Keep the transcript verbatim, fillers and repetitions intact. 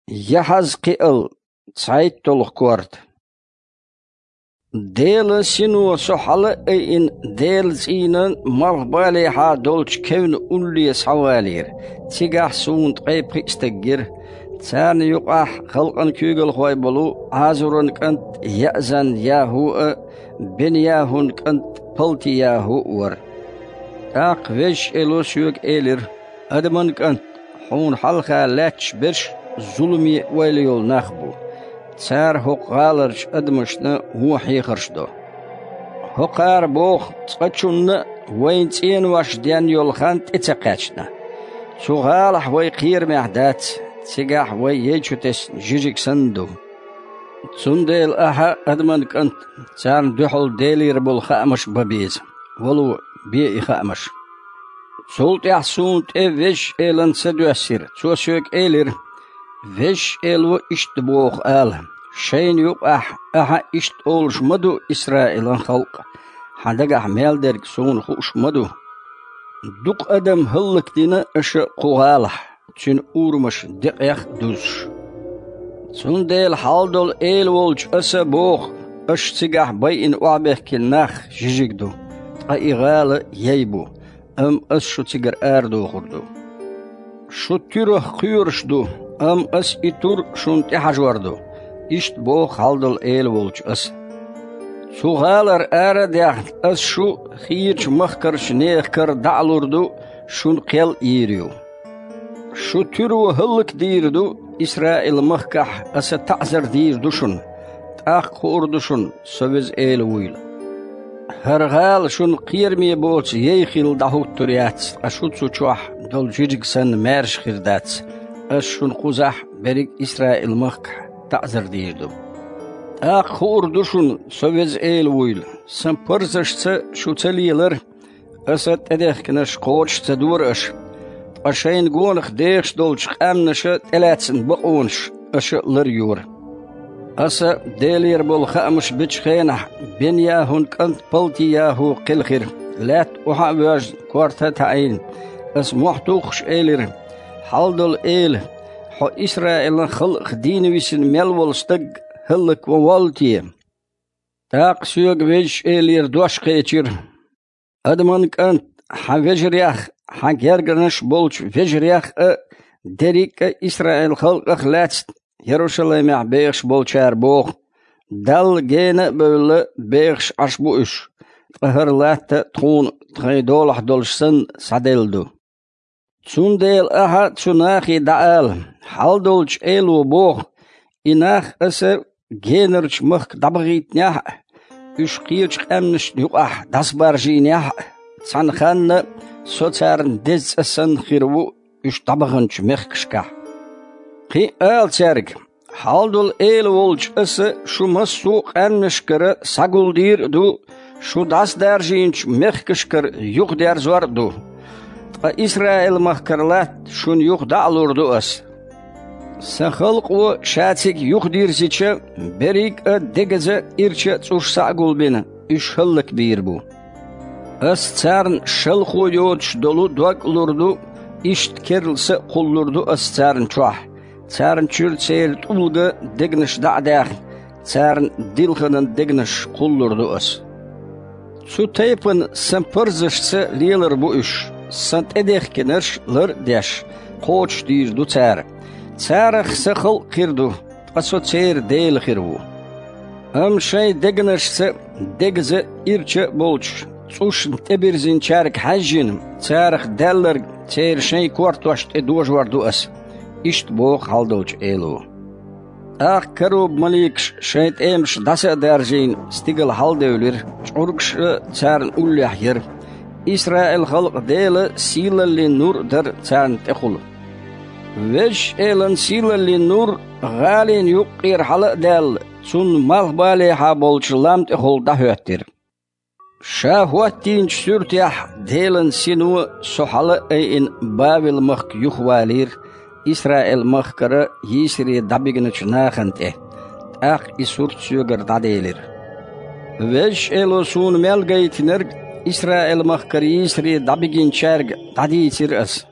Яхьазкхиал, цхьайтталгӀа корта. Делан Сино со хьала а айина, Делан цӀийнан малхбалехьа долчу кевнна улле схьавалийра. Цигахь суна ткъе пхиъ стаг гира. Царна юкъахь халкъан куьйгалхой болу Ӏазуран кӀант Яъзан-ЯхӀу а, Бен-ЯхӀун кӀант Палти-ЯхӀу а вара. ТӀаккха Везачу Эло соьга элира: «Адаман кӀант, хьуна хьалха лаьтташ берш зуламе ойла йолу нах бу. Цара хӀокху гӀаларчу адамашна вон хьехарш до. ХӀокхара боху цкъачунна а, вайна цӀенош денна йолу хан тӀе ца кхаьчна. Цу гӀалахь вай кхерамехь дац, цигахь вай яй чу тесна жижиг санна ду. Цундела ахьа, адаман кӀант, царна дуьхьал Делера болу хаамаш бан беза. Вало, бе и хаамаш». Цул тӀаьхьа суна тӀе Везачу Элан са доьссира. Цо соьга элира: «Везачу Эло иштта боху ала: шайна юкъахь ахьа иштта олуш ма ду, Исраилан халкъ, хьан дагахь мел дерг суна хууш ма ду. Дукха адам хӀаллакдина аша кху гӀалахь, цуьнан урамаш декъех а дузуш. Цундела хьалдолу Эла волчу аса боху: аша цигахь байина охьабехкина нах жижиг ду, ткъа и гӀала яй бу, амма ас шу цигара арадохур ду. Шу туьрах кхоьруш ду, амма ас и тур шуна тӀехьажор ду, иштта боху хьалдолу Эла волчу аса. Цу гӀалара ара а даьхна, ас шу хийрачу махкарчу нехан кара дӀа а лур ду, шуна кхел а йийр ю. Шу туьро хӀаллакдийр ду, Исраил-махкахь аса таӀзар дийр ду шуна, тӀаккха хуур ду шуна, со Веза Эла вуйла. ХӀара гӀала шуна кхераме боцу яй хилла дӀахӀуттур яц, ткъа шу цу чохь долу жижиг санна маьрша хир дац, ас шуна кхузахь берриг Исраил-махкахь таӀзар дийр ду. ТӀаккха хуур ду шуна, со Веза Эла вуйла. Сан парзашца шу ца лелара, аса тӀедехкинарш кхочуш ца дора аша, ткъа шайна гонах дехаш долчу къаьмнаша тӀелаьцна бакъонаш аша ларйора. Аса Делера болу хаамаш бечу хенахь Бен-ЯхӀун кӀант Палти-ЯхӀу кхелхира, лаьтта охьа а воьжна, корта а таӀийна. Аса мохь туххуш элира: «Хьалдолу Эла, хьо Исраилан халкъах дийна висина мел волу стаг хӀаллакван воллу те?» ТӀаккха соьга Везачу Элера дош кхечира: «Адаман кӀант, хьан вежарех, хьан гергарнаш болчу вежарех а, дерриг а Исраил-халкъах лаьцна Ярушалаймехь бехаш болчара боху: „Далла гена а бевлла, бехаш Ӏаш бу уьш, ткъа хӀара латта тхуна тхайн долахь долуш санна схьаделла ду“. Цундела ахьа цу нахе дӀаала: „Хьалдолчу Эло боху: „И нах аса генарчу махка дӀабахийтинехь а, уьш кхечу къаьмнашна юкъахь дӀасабаржийнехь а, цхьана ханна со царна деза цӀа санна хир ву уьш дӀабаханчу мехкашкахь“. Кхин а ала цаьрга: „Хьалдолу Эла волчу аса шу массо а къаьмнашкара схьагулдийр а ду, шу дӀасадаржийначу мехкашкара юхадерзор а ду. Ткъа Исраил-махкара латта шуна юха дӀа а лур ду аса. Сан халкъо ша цига юхадирзича, берриг а дегаза а, ирча а цӀуш схьа а гулбина, уьш хӀаллакбийр бу. Ас царна шалхо йоцуш долу дог а лур ду, иштта керла са а кхуллур ду ас царна чохь, царна чуьра церан тӀулга дегнаш дӀа а даьхна, царна дилханан дегнаш кхуллур ду ас. Цу тайпана сан парзашца лелар бу уьш, сан тӀедехкинарш лар а деш, кхочушдийр ду цара. Царах сан халкъ хир ду, ткъа со церан Дела хир ву. Амма шайн дегнашца дегаза а, ирча а болчу цӀушна тӀебирзинчаьрга хьаьжжина, царах даьлларг церан шайн кортош тӀе дожор ду ас“, иштта боху хьалдолчу Эло. ТӀаккха каруба-маликаш шайн тӀемаш дӀаса а даржийна, стигала хьаладевлира, чӀургаш а царна уллехь яра. Исраил-халкъан Делан сийлаллин нур а дара царна тӀехула. Везачу Элан сийлаллин нур, гӀалин юккъера хьала а даьлла, цунна малхбалехьа болчу лам тӀехула дӀахӀоьттира. Ша хӀоттийначу суьртехь Делан Сино со хьала а айина Бавел-махка юхавалийра, Исраил-махкара йийсаре дӀабигначу нахана тӀе, тӀаккха и сурт соьгара дӀаделира. Везачу Эло суна мел гайтинарг Исраил-махкара йийсаре дӀабигинчаьрга дӀадийцира ас.